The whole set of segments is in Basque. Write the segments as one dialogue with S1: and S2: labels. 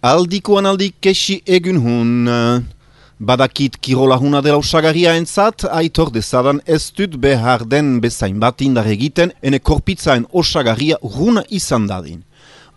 S1: Aldikoan aldik kesi egun hun. Badakit kirola huna dela usagarria entzat, aitor dezadan ez dut behar den bezain bat indar egiten, ene korpitzaen osagarria runa izan dadin.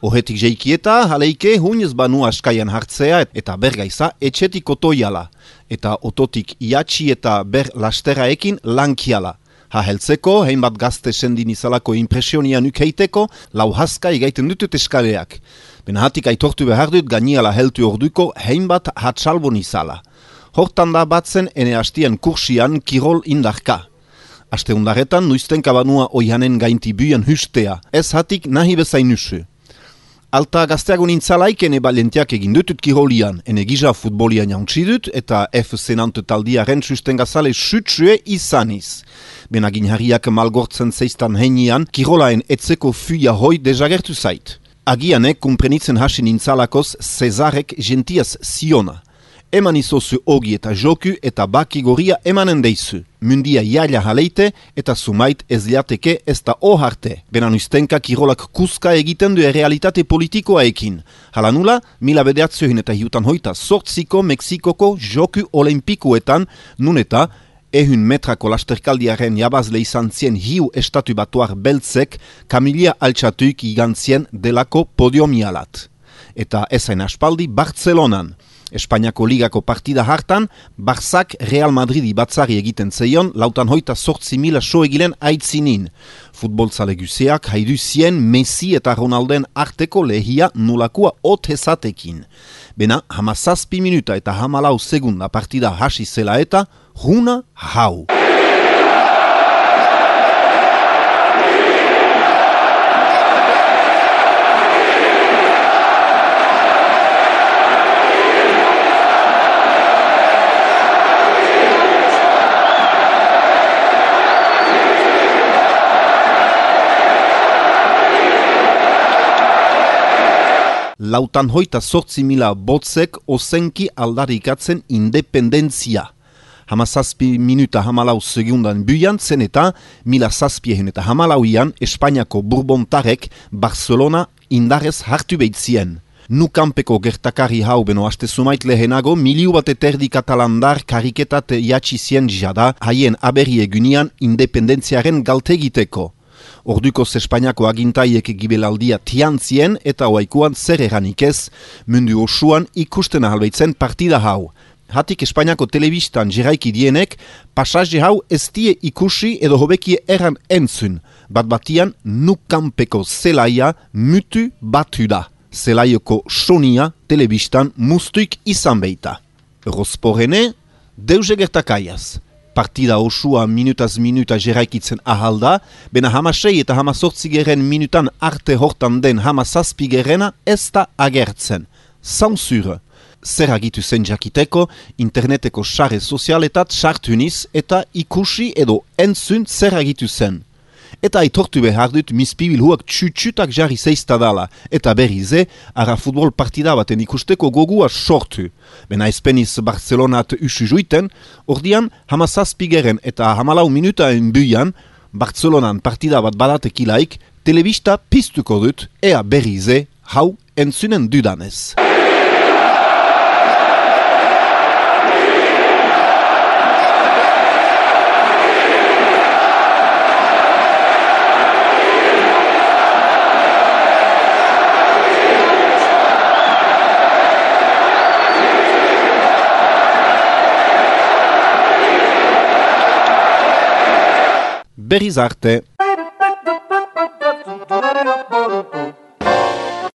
S1: Ohetik jeikieta, haleike hunez banu askaian hartzea eta bergaiza etxetik otoiala, eta ototik iatxi eta ber lasteraekin lankiala. Haheltzeko, heinbat gazte sendin izalako impresionian ukeiteko, lau haska igaiten dutut eskaleak. Benahatik aitortu behar dut gainiala heltu orduko heinbat hatsalbon izala. Hortan da batzen ene hastien kursian kirol indarka. Aste undaretan nuiztenka banua oihanen gainti buien hustea, ez hatik nahi bezain usu. Alta gazteagun intzalaik ene balentiak egin dutut kirolian, ene giza futbolian jauntsi dut eta FC Nantes taldiaren sustengazale sutsue izaniz. Benagin harriak malgortzen zeistan heinian, kirolaen etzeko fuia hoi dezagertu zait. Agianek kumprenitzen hasin intzalakoz Cezarek gentiaz ziona. Eman izozu ogi eta joku eta baki goria emanen deizu. Mundia jaila haleite eta sumait ez liateke ez da oharte. Benan ustenka kirolak kuska egiten du realitate politikoaekin. Halanula, mila bedeatziohin eta hiutan hoita sortziko Mexikoko joku olimpikoetan nun eta ehun metrako lasterkaldiaren jabazle izan zien hiu estatu batuar beltzek Kamilia altxatuik igantzien delako podiomialat. Eta ezain aspaldi Bartzelonan. Espainiako ligako partida hartan, Barzak Real Madridi batzari egiten zeion, lautan hoita 8.000 soegilen aitzinin. Futbolzale guzeak haidu zien Messi eta Ronalden arteko lehia nulakua otezatekin. Bena, 17 minuta eta 14 segunda partida hasi zela eta, runa hau. Lautan hoita 8.000 botzek ozenki aldarikatzen independentzia. 17 minuta 14 segundan buian zen eta 1714an Espainiako Bourbontarek Barcelona indarez hartu behitzien. Nukanpeko gertakari hau beno haste sumait lehenago, miliu bat eterdi katalandar kariketat jatxizien jada haien aberri egunian independentziaren galtegiteko. Ordukoz Espainiako agintaiek gibelaldia tiantzien eta oaikuan zer eranik ez, mundu osuan ikusten ahalbeitzen partida hau. Hatik Espainiako telebistan jeraiki dienek, pasaje hau ez die ikusi edo hobekie eran entzun, bat-batian nukanpeko zelaia mutu batu da. Zelaioko sonia telebistan mustuik izan beita. Rosporene, deuze gertakaiaz. Partida osua minutaz minuta jeraikitzen ahalda, bena 16 eta 18 minutan arte hortan den 17 ez da agertzen. Sansure. Zer agitu zen jakiteko, interneteko sare sozialetat sartuniz eta ikusi edo entzun zer agitu zen. Eta aitortu behar dut mispibil huak txutxutak jarri zeiztadala, eta berrize, ara futbol partida baten ikusteko gogua sortu. Bena ezpeniz Barcelonat usu juiten, ordian 17 eta 14 minutaen buian, Barcelonan partida bat badatekilaik, telebista piztuko dut, ea berrize, hau entzunen dudanez. Berriz arte.